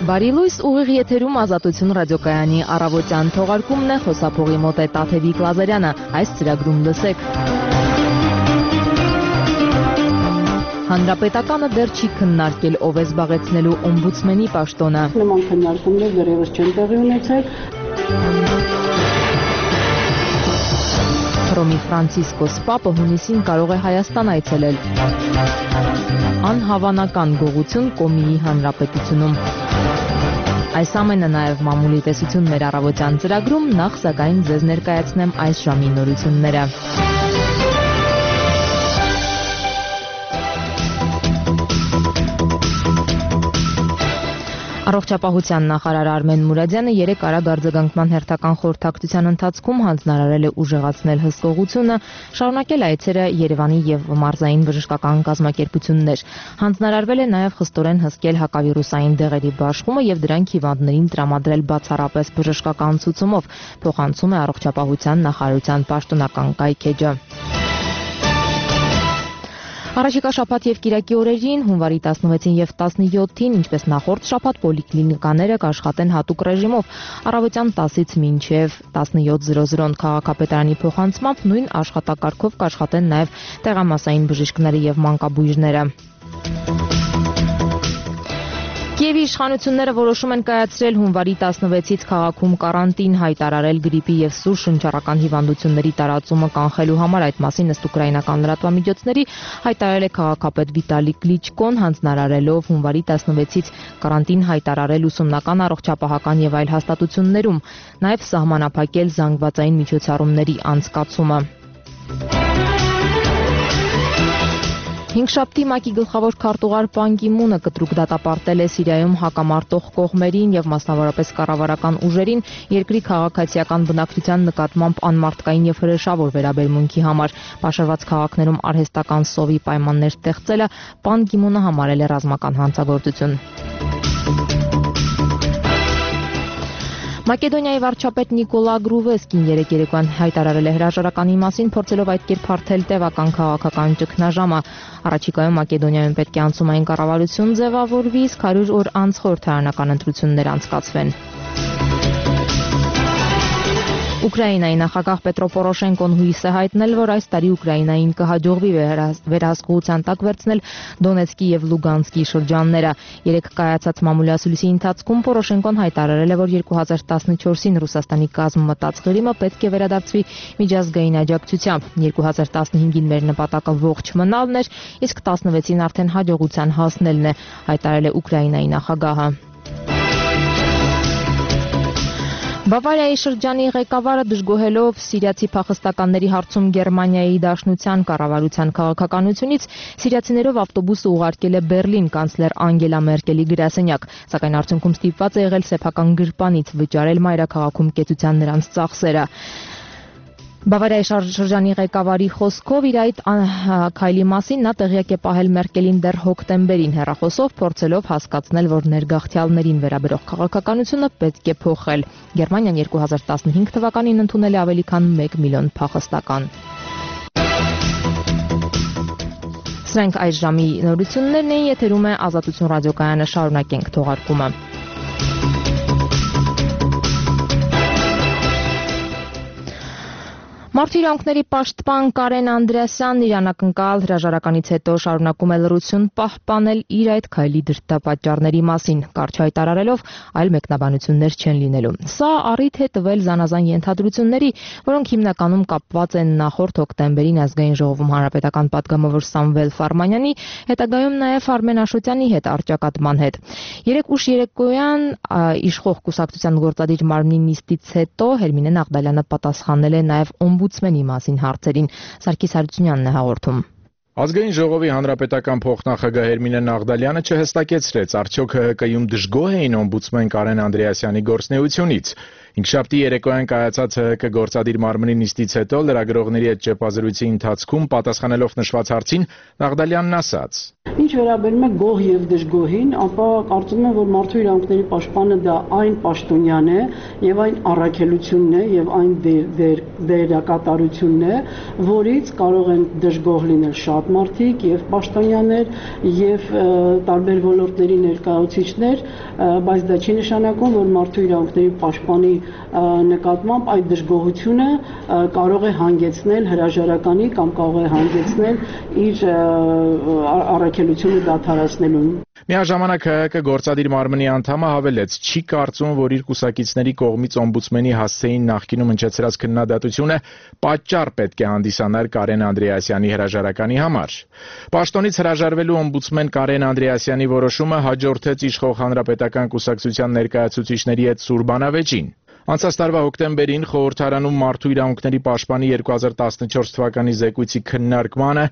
Բարի լույս, ուղիղ եթերում Ազատություն ռադիոկայանի առավոտյան թողարկումն է, խոսափողի մոտ է Տաթևիկ Լազարյանը, այս ծրագրում լսեք։ Հանրապետականը դեռ չի քննարկել ով է զբաղեցնելու օմբուդսմենի պաշտոնը։ Նման քննարկումներ դեռևս չեն տեղի ունեցել։ Հռոմի Ֆրանցիսկոս Պապը հունիսին կարող է Հայաստան այցելել։ Անհավանական գողություն Կոմիի հանրապետությունում։ Այս ամենը նաև մամուլի տեսություն մեր առավոտյան ծրագրում, նախ սակայն ձեզ ներկայացնեմ այս ժամի նորությունները։ Առողջապահության նախարար Արմեն Մուրադյանը երեկ արագ արձագանքման հերթական խորհրդակցության ընթացքում հանձնարարել է ուժեղացնել հսկողությունը, շարունակել այցերը Երևանի եւ մարզային բժշկական կազմակերպություններ։ Հանձնարարվել է նաև խստորեն հսկել հակավիրուսային դեղերի բաշխումը եւ դրանք հիվանդներին տրամադրել բացառապես բժշկական ցուցումով, փոխանցում է առողջապահության նախարարության պաշտոնական կայքէջը։ Առաջիկա շաբաթ եւ կիրակի օրերին հունվարի 16-ին եւ 17-ին, ինչպես նախորդ շաբաթ, պոլիկլինիկաները կաշխատեն հատուկ ռեժիմով առավոտյան 10-ից մինչեւ 17:00 քաղաքապետարանի փոխանցմամբ նույն աշխատակարգով կաշխատեն նաեւ տեղամասային բժիշկները եւ մանկաբույժները։ Կիևի իշխանությունները որոշում են կայացրել հունվարի 16-ից քաղաքում կարանտին, հայտարարել գրիպի եւ սուր շնչառական հիվանդությունների տարածումը կանխելու համար, այդ մասին ըստ ուկրաինական լրատվամիջոցների հայտարարել է քաղաքապետ Վիտալի Կլիչկոն, հանձնարարելով հունվարի 16-ից կարանտին հայտարարել ուսումնական, առողջապահական եւ այլ հաստատություններում, նաեւ սահմանափակել զանգվածային միջոցառումների անցկացումը։ Հինգշաբթի ՄԱԿ-ի գլխավոր քարտուղար Պան Գի Մունը կտրուկ դատապարտել է Սիրիայում հակամարտող կողմերին եւ մասնավորապես կառավարական ուժերին երկրի քաղաքացիական բնակչության նկատմամբ անմարդկային եւ հրեշավոր վերաբերմունքի համար։ Պաշարված քաղաքներում արհեստական սովի պայմաններ ստեղծելը Պան Գի Մունը համարել է ռազմական հանցագործություն։ Մակեդոնիայի վարչապետ Նիկոլա Գրուվեսկին երեկ երեկոյան հայտարարել է հրաժարականի մասին, փորձելով այդ կերպ հարթել տևական քաղաքական ճգնաժամը։ Առաջիկայում Մակեդոնիայում պետք է անցումային կառավարություն ձևավորվի, իսկ 100 օր անց խորհրդարանական ընտրություններ անցկացվեն։ Ուկրաինայի նախագահ Պետրո Պորոշենկոն հույս է հայտնել, որ այս տարի Ուկրաինային կհաջողվի վերահսկողության տակ վերցնել Դոնեցկի եւ Լուգանսկի շրջանները։ Երեկ կայացած մամուլի ընթացքում Պորոշենկոն հայտարարել է, որ 2014-ին Ռուսաստանի կազմ մտած Ղրիմը պետք է վերադարձվի միջազգային աջակցությամբ։ 2015-ին մեր նպատակը ողջ մնալն էր, իսկ 16-ին արդեն հաջողության հասնելն է, հայտարարել է Ուկրաինայի նախագահը։ Բավարիայի շրջանի ղեկավարը դժգոհելով սիրիացի փախստականների հարցում Գերմանիայի Դաշնության կառավարության քաղաքականությունից սիրիացիներով ավտոբուսը ուղարկել է Բերլին կանցլեր Անգելա Մերկելի գրասենյակ, սակայն արդյունքում ստիպված է եղել սեփական գրպանից վճարել մայրաքաղաքում կեցության նրանց ծախսերը։ Բավարիայի շրջանի ղեկավարի խոսքով իր այդ քայլի մասին նա տեղյակ է պահել Մերկելին դեռ հոկտեմբերին հեռախոսով, փորձելով հասկացնել, որ ներգաղթյալներին վերաբերող քաղաքականությունը պետք է փոխել։ Գերմանիան 2015 թվականին ընդունել է ավելի քան 1 միլիոն փախստական։ Սրանք այս ժամի նորություններն են, եթերում է Ազատություն ռադիոկայանը, շարունակենք թողարկումը։ Մարդու իրավունքների պաշտպան Կարեն Անդրեասյանն իր անակնկալ հրաժարականից հետո շարունակում է լռություն պահպանել իր այդ քայլի դրդապատճառների մասին, կարճ հայտարարելով այլ մեկնաբանություններ չեն լինելու։ Սա առիթ է տվել զանազան ենթադրությունների, որոնք հիմնականում կապված են նախորդ հոկտեմբերին ազգային ժողովում հանրապետական պատգամավոր Սամվել Ֆարմանյանի, հետագայում նաև Արմեն Աշոտյանի հետ առճակատման հետ։ Երեկ ուշ երեկոյան իշխող կուսակցության գործադիր մարմնի նիստից հետո Հերմինե Նաղդալյանը պատասխանել է նաև օմբուդսմենի մասին հարցերին, Սարգիս Հարությունյանն է հաղորդում։ Ազգային ժողովի հանրապետական փոխնախագահ Հերմինե Նաղդալյանը չհստակեցրեց, արդյոք ՀՀԿ-ում դժգոհ էին օմբուդսմեն Կարեն Անդրեասյանի գործունեությունից։ Հինգշաբթի երեկոյան կայացած ՀՀԿ գործադիր մարմնի նիստից հետո լրագրողների հետ ճեպազրույցի ընթացքում պատասխանելով նշված հարցին Նաղդալյանն ասաց. Ինչ վերաբերում է գոհ եւ դժգոհին, ապա կարծում եմ, որ մարդու իրավունքների պաշտպանը դա այն պաշտոնյան է եւ այն առաքելությունն է եւ այն դերակատարությունն է, որից կարող են դժգոհ լինել շատ տղամարդիկ եւ պաշտոնյաներ եւ տարբեր ոլորտների ներկայացուցիչներ, բայց դա չի նշանակում, որ մարդու իրավունքների պաշտպանի նկատմամբ այդ դժգոհությունը կարող է հանգեցնել հրաժարականի կամ կարող է հանգեցնել իր առաքելությունը դադարեցնելուն։ Միաժամանակ ՀՀԿ գործադիր մարմնի անդամը հավելեց, չի կարծում, որ իր կուսակիցների կողմից օմբուդսմենի հասցեին նախկինում հնչեցրած քննադատությունը պատճառ պետք է հանդիսանար Կարեն Անդրեասյանի հրաժարականի համար։ Պաշտոնից հրաժարվելու օմբուդսմեն Կարեն Անդրեասյանի որոշումը հաջորդեց իշխող հանրապետական կուսակցության ներկայացուցիչների հետ սուր բանավեճին։ Անցած տարվա հոկտեմբերին խորհրդարանում մարդու իրավունքների պաշտպանի 2014 թվականի զեկույցի քննարկմանը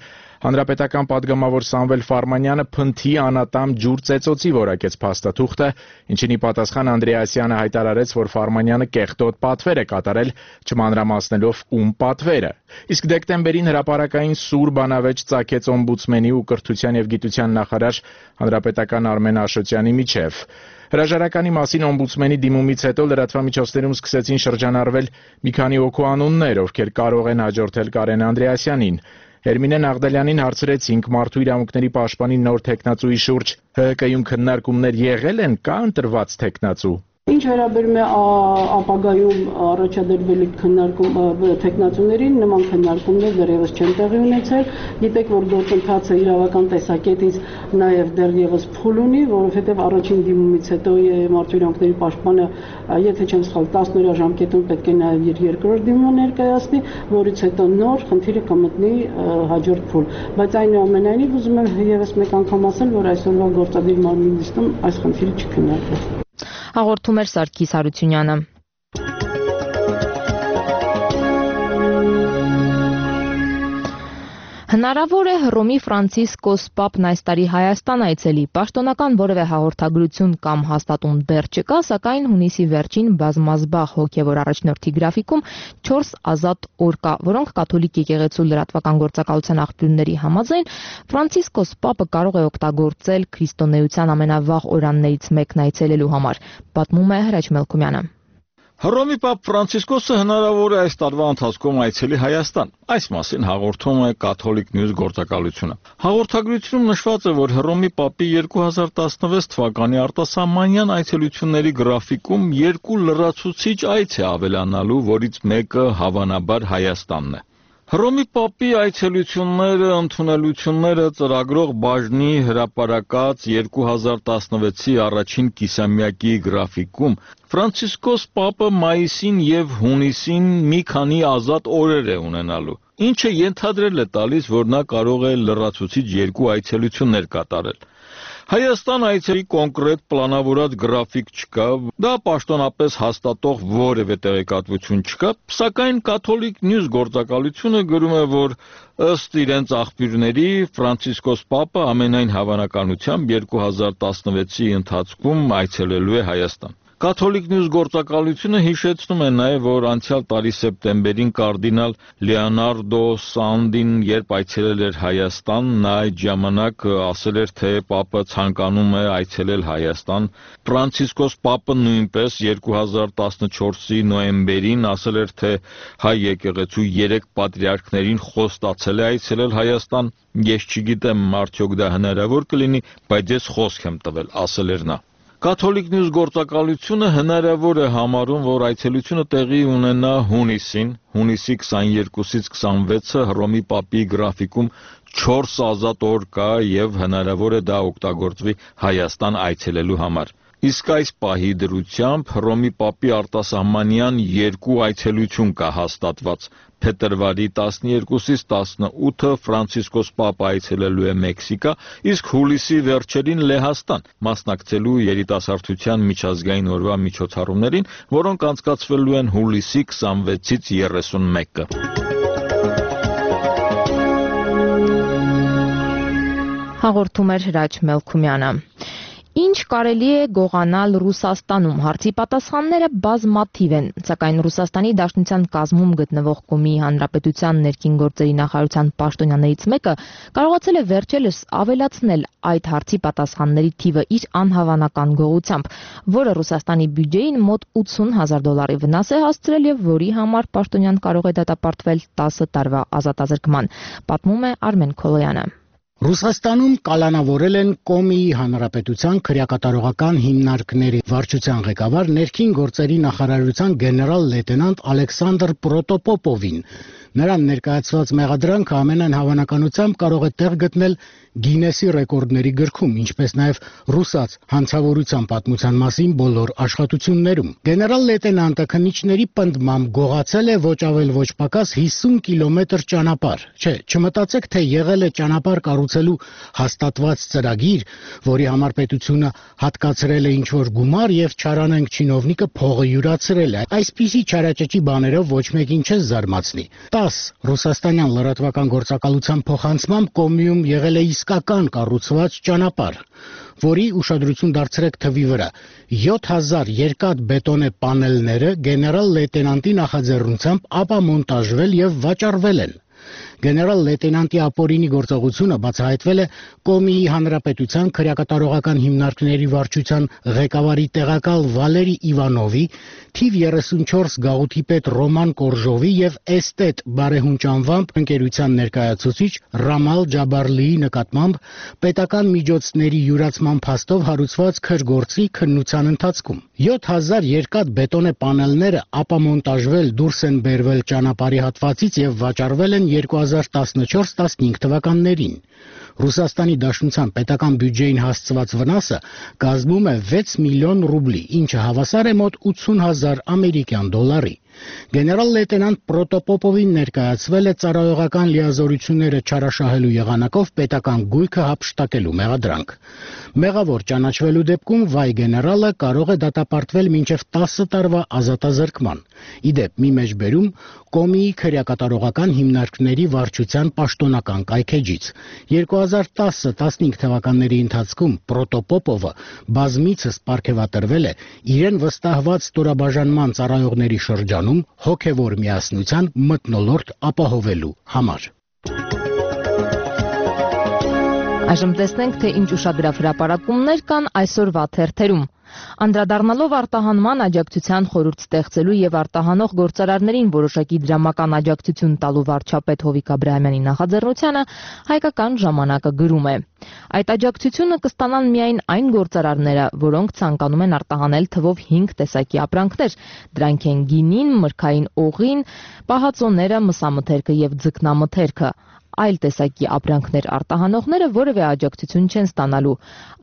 հանրապետական պատգամավոր Սամվել Ֆարմանյանը փնթի անատամ ջուր ծեծոցի որակեց փաստաթուղթը, ինչին ի պատասխան Անդրեասյանը հայտարարեց, որ Ֆարմանյանը կեղտոտ պատվեր է կատարել, չմանրամասնելով ում պատվերը։ Իսկ դեկտեմբերին հրապարակային սուր բանավեճ ծագեց օմբուդսմենի ու կրթության եւ գիտության նախարար հանրապետական Արմեն Աշոտյանի միջև։ Հրաժարականի մասին օմբուդսմենի դիմումից հետո լրատվամիջոցներում սկսեցին շրջանառվել մի քանի օգու անուններ, ովքեր կարող են հաջորդել Կարեն Անդրեասյանին։ Հերմինե Նաղդալյանին հարցրեցինք մարդու իրավունքների պաշտպանի նոր թեկնածուի շուրջ ՀՀԿ-ում քննարկումներ եղել են, կա ընտրված թեկնածու։ Ինչ վերաբերում է ապագայում առաջադրվելիք թեկնածուներին, նման քննարկումներ դեռևս չեն տեղի ունեցել։ Գիտեք, որ գործընթացը իրավական տեսակետից նաև դեռևս փուլ ունի, որովհետև առաջին դիմումից հետո մարդու իրավունքների պաշտպանը, եթե չեմ սխալ, 10 օրյա ժամկետում պետք է նաև իր երկրորդ դիմումը ներկայացնի, որից հետո նոր խնդիրը կմտնի հաջորդ փուլ։ Բայց այնուամենայնիվ ուզում եմ ևս մեկ անգամ ասել, որ այսօրվա գործադիր մարմնի նիստում այս խնդիրը չքննարկվեց։ Հաղորդում էր Սարգիս Հարությունյանը։ Հնարավոր է Հռոմի Ֆրանցիսկոս Պապն այս տարի Հայաստան այցելի, պաշտոնական որևէ հաղորդագրություն կամ հաստատում դեռ չկա, սակայն հունիսի վերջին բազմազբաղ հոգևոր առաջնորդի գրաֆիկում 4 ազատ օր կա, որոնք կաթոլիկ եկեղեցու լրատվական գործակալության աղբյուրների համաձայն Ֆրանցիսկոս Պապը կարող է օգտագործել քրիստոնեության ամենավաղ օրաններից մեկն այցելելու համար, պատմում է Հրաչ Մելքումյանը։ Հռոմի Պապ Ֆրանցիսկոսը հնարավոր է այս տարվա ընթացքում այցելի Հայաստան։ Այս մասին հաղորդում է Կաթոլիկ Նյուզ գործակալությունը։ Հաղորդագրությունում նշված է, որ Հռոմի Պապի 2016 թվականի արտասահմանյան այցելությունների գրաֆիկում 2 լրացուցիչ այց է ավելանալու, որից մեկը հավանաբար Հայաստանն է։ Հռոմի Պապի այցելությունները, ընդունելությունները ծրագրող բաժնի հրապարակած 2016-ի առաջին կիսամյակի գրաֆիկում Ֆրանցիսկոս Պապը մայիսին եւ հունիսին մի քանի ազատ օրեր է ունենալու, ինչը ենթադրել է տալիս, որ նա կարող է լրացուցիչ 2 այցելություններ կատարել։ Հայաստան այցերի կոնկրետ պլանավորած գրաֆիկ չկա, դա պաշտոնապես հաստատող որևէ տեղեկատվություն չկա, սակայն Կաթոլիկ Նյուզ գործակալությունը գրում է, որ ըստ իրենց աղբյուրների Ֆրանցիսկոս Պապը ամենայն հավանականությամբ 2016-ի ընթացքում այցելելու է Հայաստան։ Կաթոլիկ Նյուզ գործակալությունը հիշեցնում է նաև, որ անցյալ տարի սեպտեմբերին կարդինալ Լեոնարդո Սանդին, երբ այցելել էր Հայաստան, նա այդ ժամանակ ասել էր, թե Պապը ցանկանում է այցելել Հայաստան։ Ֆրանցիսկոս Պապը նույնպես 2014-ի նոյեմբերին ասել էր, թե հայ եկեղեցու 3 պատրիարքներին խոստացել է այցելել Հայաստան։ Ես չգիտեմ, արդյոք դա հնարավոր կլինի, բայց ես խոսք եմ տվել, ասել էր նա։ Կաթոլիկ Նյուզ գործակալությունը հնարավոր է համարում, որ այցելությունը տեղի ունենա հունիսին, հունիսի 22-ից 26-ը Հռոմի Պապի գրաֆիկում 4 ազատ օր կա եւ հնարավոր է դա օգտագործվի Հայաստան այցելելու համար։ Իսկ այս պահի դրությամբ Հռոմի Պապի արտասահմանյան 2 այցելություն կա հաստատված։ Փետրվարի 12-ից 18-ը Ֆրանցիսկոս Պապը այցելելու է Մեքսիկա, իսկ հուլիսի վերջերին Լեհաստան, մասնակցելու երիտասարդության միջազգային օրվա միջոցառումներին, որոնք անցկացվելու են հուլիսի 26-ից 31-ը։ Հաղորդում էր Հրաչ Մելքումյանը։ Ինչ կարելի է գողանալ Ռուսաստանում, հարցի պատասխանները բազմաթիվ են, սակայն Ռուսաստանի Դաշնության կազմում գտնվող Կոմիի Հանրապետության ներքին գործերի նախարարության պաշտոնյաներից մեկը կարողացել է վերջերս ավելացնել այդ հարցի պատասխանների թիվը իր անհավանական գողությամբ, որը Ռուսաստանի բյուջեին մոտ $80,000 վնաս է հասցրել եւ որի համար պաշտոնյան կարող է դատապարտվել 10 տարվա ազատազրկման, պատմում է Արմեն Քոլոյանը։ Ռուսաստանում կալանավորել են Կոմիի Հանրապետության քրեակատարողական հիմնարկների վարչության ղեկավար ներքին գործերի նախարարության գեներալ լեյտենանտ Ալեքսանդր Պրոտոպոպովին։ Նրան ներկայացված մեղադրանքը ամենայն հավանականությամբ կարող է տեղ գտնել Գինեսի ռեկորդների գրքում, ինչպես նաև ռուսաց հանցավորության պատմության մասին բոլոր աշխատություններում։ Գեներալ լեյտենանտը քննիչների պնդմամբ գողացել է ոչ ավել ոչ պակաս 50 կիլոմետր ճանապարհ։ Չէ, չմտածեք, թե եղել է ճանապարհ կառուցելու հաստատված ծրագիր, որի համար պետությունը հատկացրել է ինչ-որ գումար եւ չարանենք չինովնիկը փողը յուրացրել է։ Այսպիսի չարաճճի բաներով ոչ մեկին չէ զարմացնի։ 10 ռուսաստանյան լրատվական գործակալության փոխանցմամբ Կոմիում եղել է իսկական կառուցված ճանապարհ, որի ուշադրություն դարձրեք թվի վրա 7000 երկաթ բետոնե պանելները գեներալ լեյտենանտի նախաձեռնությամբ ապամոնտաժվել եւ վաճառվել են։ Գեներալ լեյտենանտի ապօրինի գործողությունը բացահայտվել է Կոմիի Հանրապետության քրեակատարողական հիմնարկների վարչության ղեկավարի տեղակալ Վալերի Իվանովի, թիվ 34 գաղութի պետ Ռոման Կորժովի եւ էստետ բարեհունչ անվամբ ընկերության ներկայացուցիչ Ռամալ Ջաբարլիի նկատմամբ պետական միջոցների յուրացման փաստով հարուցված քրգործի քննության ընթացքում 7000 երկաթ բետոնե պանելները ապամոնտաժվել դուրս են բերվել ճանապարհի հատվածից եւ վաճառվել են 2014-15 թվականներին։ Ռուսաստանի Դաշնության պետական բյուջեին հասցված վնասը կազմում է 6 միլիոն ռուբլի, ինչը հավասար է մոտ 80,000 ամերիկյան դոլարի։ Գեներալ լեյտենանտ Պրոտոպոպովին ներկայացվել է ծառայողական լիազորությունները չարաշահելու եղանակով պետական գույքը հափշտակելու մեղադրանք։ Մեղավոր ճանաչվելու դեպքում վայ գեներալը կարող է դատապարտվել մինչև 10 տարվա ազատազրկման։ Իդեպ մի մեջբերում Կոմիի քրեակատարողական հիմնարկների վարչության պաշտոնական կայքեջից 2010-15 թվականների ընթացքում Պրոտոպոպովը բազմիցս պարգևատրվել է իրեն վստահված ստորաբաժանման ծառայողների շրջանում հոգևոր միասնության մթնոլորտ ապահովելու համար։ Այժմ տեսնենք, թե ինչ ուշագրավ հրապարակումներ կան այսօրվա թերթերում։ Անդրադառնալով արտահանման աջակցության խորհուրդ ստեղծելու եւ արտահանող գործարարներին որոշակի դրամական աջակցություն տալու վարչապետ Հովիկ Աբրահամյանի նախաձեռնությանը հայկական ժամանակը գրում է. Այդ աջակցությունը կստանան միայն այն գործարարները, որոնք ցանկանում են արտահանել թվով 5 տեսակի ապրանքներ։ Դրանք են գինին, մրգային օղին, պահածոները, մսամթերքը եւ ձկնամթերքը։ Այլ տեսակի ապրանքներ արտահանողները որևէ աջակցություն չեն ստանալու։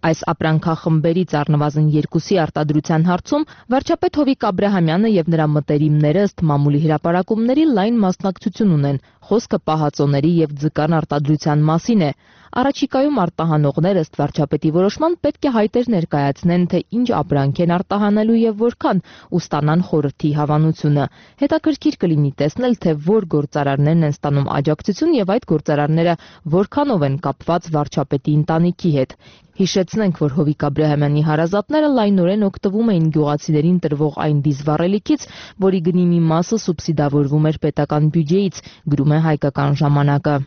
Այս ապրանքախմբերից առնվազն 2-ի արտադրության հարցում վարչապետ Հովիկ Աբրահամյանը եւ նրա մտերիմները ըստ մամուլի հրապարակումների լայն մասնակցություն ունեն։ Խոսքը պահածոների եւ ձկան արտադրության մասին է։ Առաջիկայում արտահանողները ըստ վարչապետի որոշման պետք է հայտեր ներկայացնեն, թե ինչ ապրանք են արտահանելու եւ որքան, ու ստանան խորհրդի հավանությունը։ Հետաքրքիր կլինի տեսնել, թե որ գործարարներն են ստանում աջակցություն եւ այդ գործարարները որքանով են կապված վարչապետի ընտանիքի հետ։ Հիշեցնենք, որ Հովիկ Աբրահամյանի հարազատները լայնորեն օգտվում էին գյուղացիներին տրվող այն դիզվառելիքից, որի գնի մի մասը սուբսիդավորվում էր պետական բյուջեից, գրում է հայկական ժամանակը։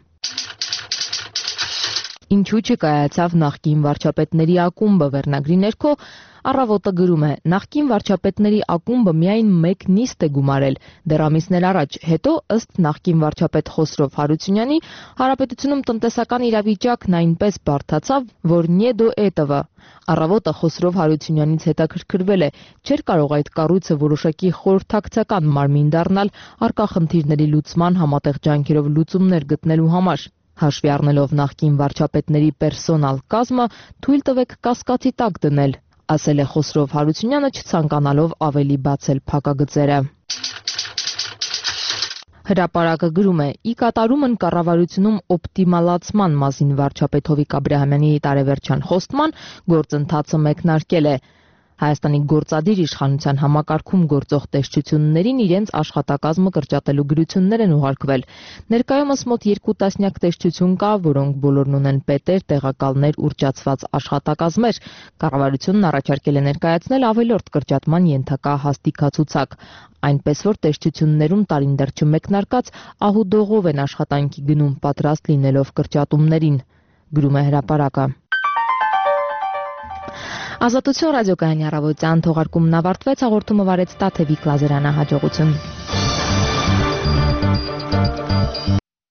Ինչու չկայացավ նախկին վարչապետների ակումբը վերնագրի ներքո Առավոտը գրում է. նախկին վարչապետների ակումբը միայն մեկ նիստ է գումարել, դեռ ամիսներ առաջ, հետո ըստ նախկին վարչապետ Խոսրով Հարությունյանի, հանրապետությունում տնտեսական իրավիճակն այնպես բարդացավ, որ «не до этого»։ Առավոտը Խոսրով Հարությունյանից հետաքրքրվել է, չէր կարող այդ կառույցը որոշակի խորհրդակցական մարմին դառնալ առկա խնդիրների լուծման համատեղ ջանքերով լուծումներ գտնելու համար։ Հաշվի առնելով նախկին վարչապետների պերսոնալ կազմը, թույլ տվեք կասկածի տակ դնել, ասել է Խոսրով Հարությունյանը, չցանկանալով ավելի բացել փակագծերը։ Հրապարակը գրում է. ի կատարումն կառավարությունում օպտիմալացման մասին վարչապետ Հովիկ Աբրահամյանի տարեվերջյան խոստման գործընթացը մեկնարկել է։ Հայաստանի գործադիր իշխանության համակարգում գործող տեսչություններին իրենց աշխատակազմը կրճատելու գրություններ են ուղարկվել։ Ներկայումս մոտ 2 տասնյակ տեսչություն կա, որոնք բոլորն ունեն պետեր, տեղակալներ, ուռճացված աշխատակազմեր։ Կառավարությունն առաջարկել է ներկայացնել ավելորդ կրճատման ենթակա հաստիքացուցակ, այնպես որ տեսչություններում տարին դեռ չմեկնարկած ահուդողով են աշխատանքի գնում, պատրաստ լինելով կրճատումներին, գրում է հրապարակը։ Ազատություն ռադիոկայանի առավոտյան թողարկումն ավարտվեց, հաղորդումը վարեց Տաթևիկ Լազարյանը, հաջողություն։